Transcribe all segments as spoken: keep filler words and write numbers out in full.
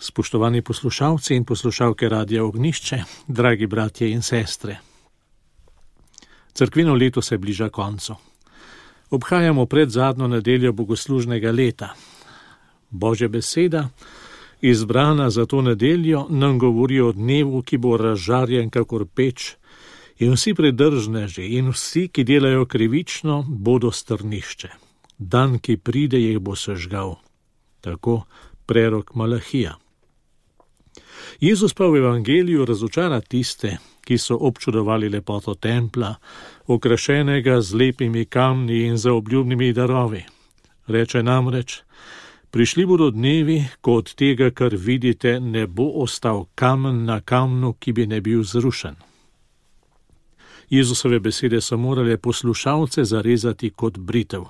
Spoštovani poslušalci in poslušalke Radia Ognjišče, dragi bratje in sestre. Cerkvino leto se bliža koncu. Obhajamo predzadnjo nedeljo bogoslužnega leta. Božja beseda, izbrana za to nedeljo, nam govori o dnevu, ki bo razžarjen kakor peč, in vsi predržneži in vsi, ki delajo krivično, bodo strnišče. Dan, ki pride, jih bo sežgal. Tako prerok Malahija. Jezus pa v evangeliju razočara tiste, ki so občudovali lepoto templa, okrašenega z lepimi kamni in zaobljubnimi darovi. Reče namreč: prišli bodo dnevi, ko od tega, kar vidite, ne bo ostal kamen na kamnu, ki bi ne bil zrušen. Jezusove besede so morale poslušalce zarezati kot britev.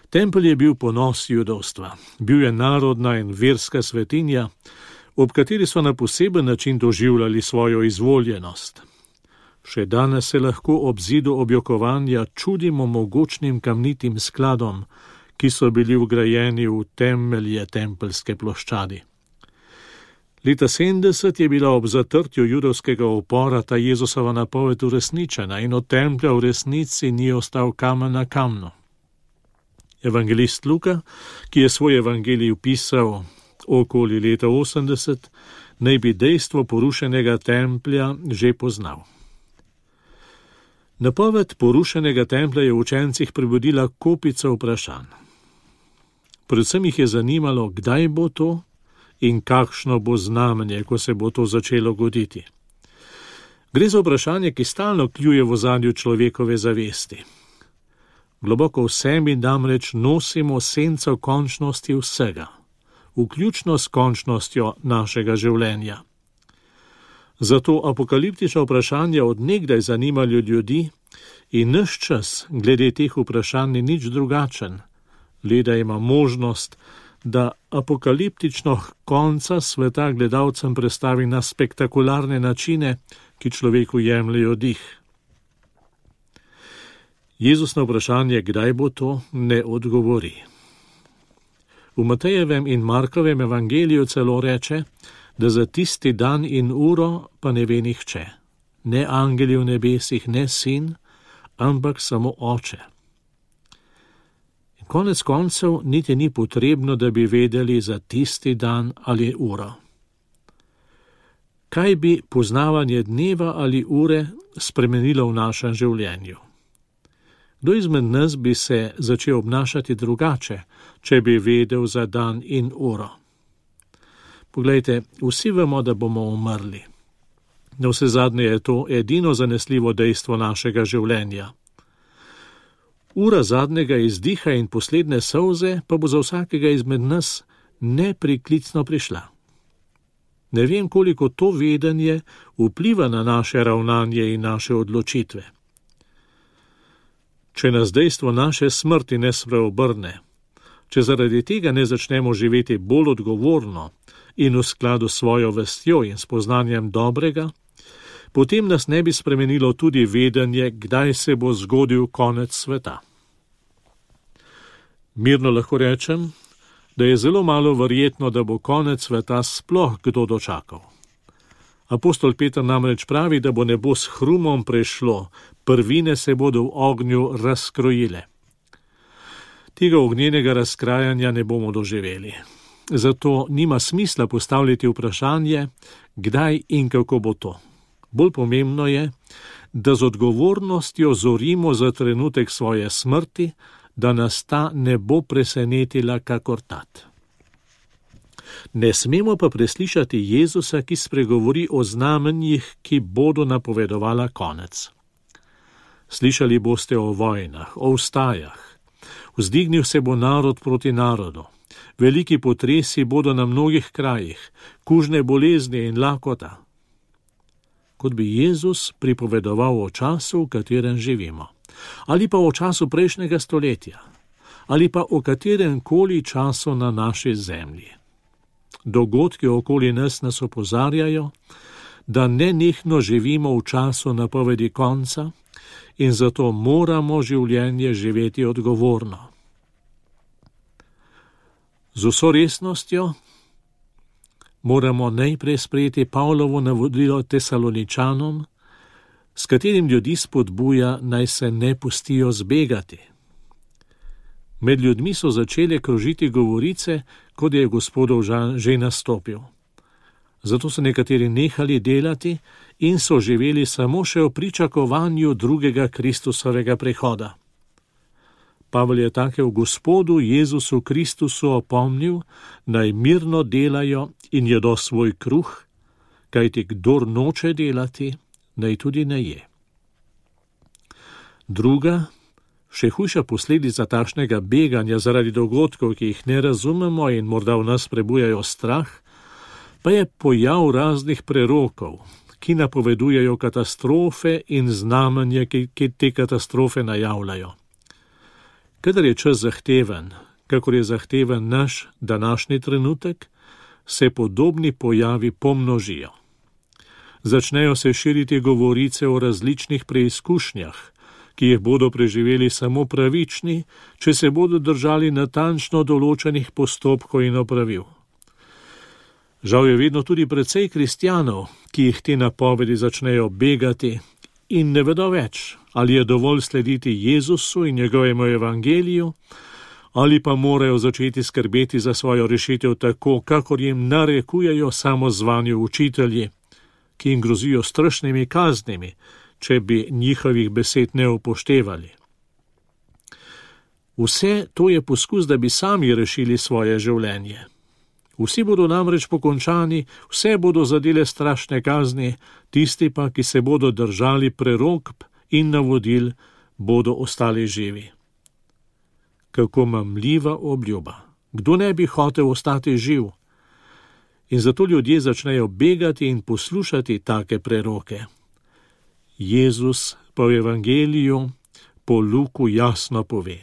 Tempelj je bil ponos judovstva, bil je narodna in verska svetinja, ob kateri so na poseben način doživljali svojo izvoljenost. Še danes se lahko ob zidu objokovanja čudimo mogočnim kamnitim skladom, ki so bili vgrajeni v temelje tempeljske ploščadi. Leta sedemdeset je bila ob zatrtju judovskega upora ta Jezusova napoved uresničena in od templja v resnici ni ostal kamen na kamnu. Evangelist Luka, ki je svoj evangelij vpisal okoli leta osemdeset, naj bi dejstvo porušenega templja že poznal. Napoved porušenega templja je v učencih prebudila kopico vprašanj. Predvsem jih je zanimalo, kdaj bo to in kakšno bo znamenje, ko se bo to začelo goditi. Gre za vprašanje, ki stalno kljuje v ozadju človekove zavesti. Globoko v sebi namreč nosimo senco končnosti vsega, vključno s končnostjo našega življenja. Zato apokaliptična vprašanja od nekdaj zanimajo ljudi in naš čas glede teh vprašanj ni nič drugačen, le da ima možnost, da apokaliptično konca sveta gledalcem predstavi na spektakularne načine, ki človeku jemljejo dih. Jezus na vprašanje, kdaj bo to, ne odgovori. V Matejevem in Markovem evangeliju celo reče, da za tisti dan in uro pa ne ve nihče, ne angeli v nebesih, ne sin, ampak samo oče. In konec koncev niti ni potrebno, da bi vedeli za tisti dan ali uro. Kaj bi poznavanje dneva ali ure spremenilo v našem življenju? Kdo izmed nas bi se začel obnašati drugače, če bi vedel za dan in uro? Poglejte, vsi vemo, da bomo umrli. Na vse zadnje je to edino zanesljivo dejstvo našega življenja. Ura zadnjega izdiha in posledne solze pa bo za vsakega izmed nas nepriklicno prišla. Ne vem, koliko to vedenje vpliva na naše ravnanje in naše odločitve. Če nas dejstvo naše smrti ne spreobrne, če zaradi tega ne začnemo živeti bolj odgovorno in v skladu s svojo vestjo in spoznanjem dobrega, potem nas ne bi spremenilo tudi vedenje, kdaj se bo zgodil konec sveta. Mirno lahko rečem, da je zelo malo verjetno, da bo konec sveta sploh kdo dočakal. Apostol Peter namreč pravi, da bo nebo s hrumom prešlo, prvine se bodo v ognju razkrojile. Tega ognjenega razkrajanja ne bomo doživeli. Zato nima smisla postavljati vprašanje, kdaj in kako bo to. Bolj pomembno je, da z odgovornostjo zorimo za trenutek svoje smrti, da nas ta ne bo presenetila kakor tat. Ne smemo pa preslišati Jezusa, ki spregovori o znamenjih, ki bodo napovedovala konec. Slišali boste o vojnah, o vstajah. Vzdignil se bo narod proti narodu. Veliki potresi bodo na mnogih krajih, kužne bolezni in lakota. Kot bi Jezus pripovedoval o času, v katerem živimo. Ali pa o času prejšnjega stoletja. Ali pa o katerem koli času na naši zemlji. Dogodki okoli nas nas opozarjajo, da nenehno živimo v času napovedi konca in zato moramo življenje živeti odgovorno. Z vso resnostjo moramo najprej sprejeti Pavlovo navodilo Tesaloničanom, s katerim ljudi spodbuja, naj se ne pustijo zbegati. Med ljudmi so začele krožiti govorice, kot je Gospodov žan že nastopil. Zato so nekateri nehali delati in so živeli samo še v pričakovanju drugega Kristusovega prihoda. Pavel je take v Gospodu Jezusu Kristusu opomnil, naj mirno delajo in jedo svoj kruh, kajti kdor noče delati, naj tudi ne je. Druga, še hujša posledica takšnega beganja zaradi dogodkov, ki jih ne razumemo in morda v nas prebujajo strah, pa je pojav raznih prerokov, ki napovedujejo katastrofe in znamenja, ki, ki te katastrofe najavljajo. Kadar je čas zahteven, kakor je zahteven naš današnji trenutek, se podobni pojavi pomnožijo. Začnejo se širiti govorice o različnih preizkušnjah, ki jih bodo preživeli samo pravični, če se bodo držali natančno določenih postopkov in opravil. Žal je vedno tudi precej kristjanov, ki jih te napovedi začnejo begati in ne vedo več, ali je dovolj slediti Jezusu in njegovemu evangeliju, ali pa morajo začeti skrbeti za svojo rešitev tako, kakor jim narekujejo samozvani učitelji, ki jim grozijo strašnimi kaznimi, če bi njihovih besed ne upoštevali. Vse to je poskus, da bi sami rešili svoje življenje. Vsi bodo namreč pokončani, vse bodo zadele strašne kazni, tisti pa, ki se bodo držali prerokb in navodil, bodo ostali živi. Kako mamljiva obljuba! Kdo ne bi hotel ostati živ? In zato ljudje začnejo begati in poslušati take preroke. Jezus pa v evangeliju po Luku jasno pove: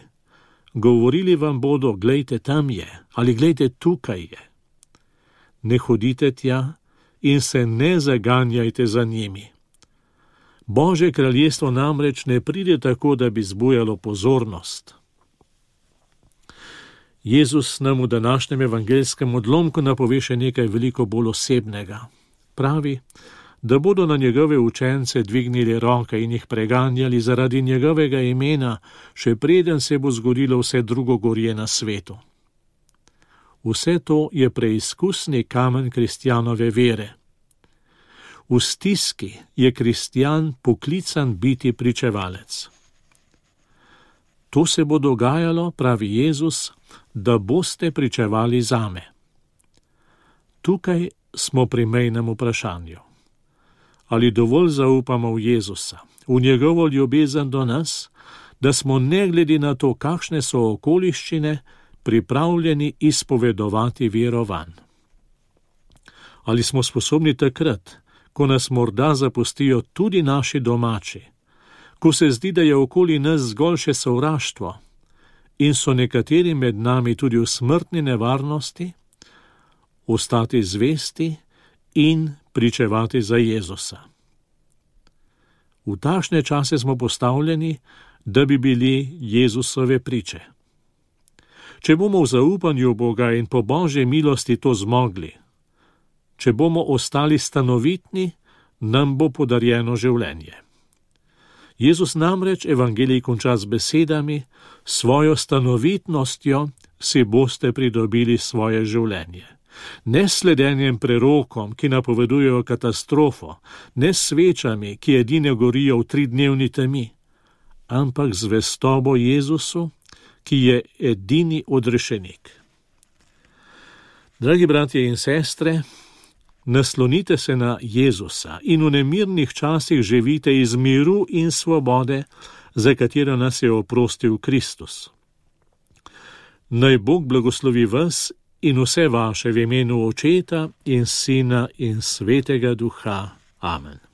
govorili vam bodo, glejte, tam je, ali glejte, tukaj je. Ne hodite tja in se ne zaganjajte za njimi. Božje kraljestvo namreč ne pride tako, da bi zbujalo pozornost. Jezus nam v današnjem evangelskem odlomku napove še nekaj veliko bolj osebnega. Pravi, da bodo na njegove učence dvignili roke in jih preganjali zaradi njegovega imena, še preden se bo zgodilo vse drugo gorje na svetu. Vse to je preizkusni kamen kristjanove vere. V stiski je kristjan poklican biti pričevalec. To se bo dogajalo, pravi Jezus, da boste pričevali zame. Tukaj smo pri mejnem vprašanju. Ali dovolj zaupamo v Jezusa, v njegovo ljubezen do nas, da smo ne glede na to, kakšne so okoliščine, pripravljeni izpovedovati vero vanj? Ali smo sposobni takrat, ko nas morda zapustijo tudi naši domači, ko se zdi, da je okoli nas zgolj še sovraštvo in so nekateri med nami tudi v smrtni nevarnosti, ostati zvesti in pričevati za Jezusa? V takšne čase smo postavljeni, da bi bili Jezusove priče. Če bomo v zaupanju Boga in po Božji milosti to zmogli, če bomo ostali stanovitni, nam bo podarjeno življenje. Jezus namreč evangelij konča z besedami: svojo stanovitnostjo si boste pridobili svoje življenje. Ne s sledenjem prerokom, ki napovedujejo katastrofo, ne s svečami, ki edine gorijo v tridnevni temi, ampak z zvestobo Jezusu, ki je edini odrešenik. Dragi bratje in sestre, naslonite se na Jezusa in v nemirnih časih živite iz miru in svobode, za katero nas je oprostil Kristus. Naj Bog blagoslovi vas in vse vaše v imenu Očeta in Sina in Svetega Duha. Amen.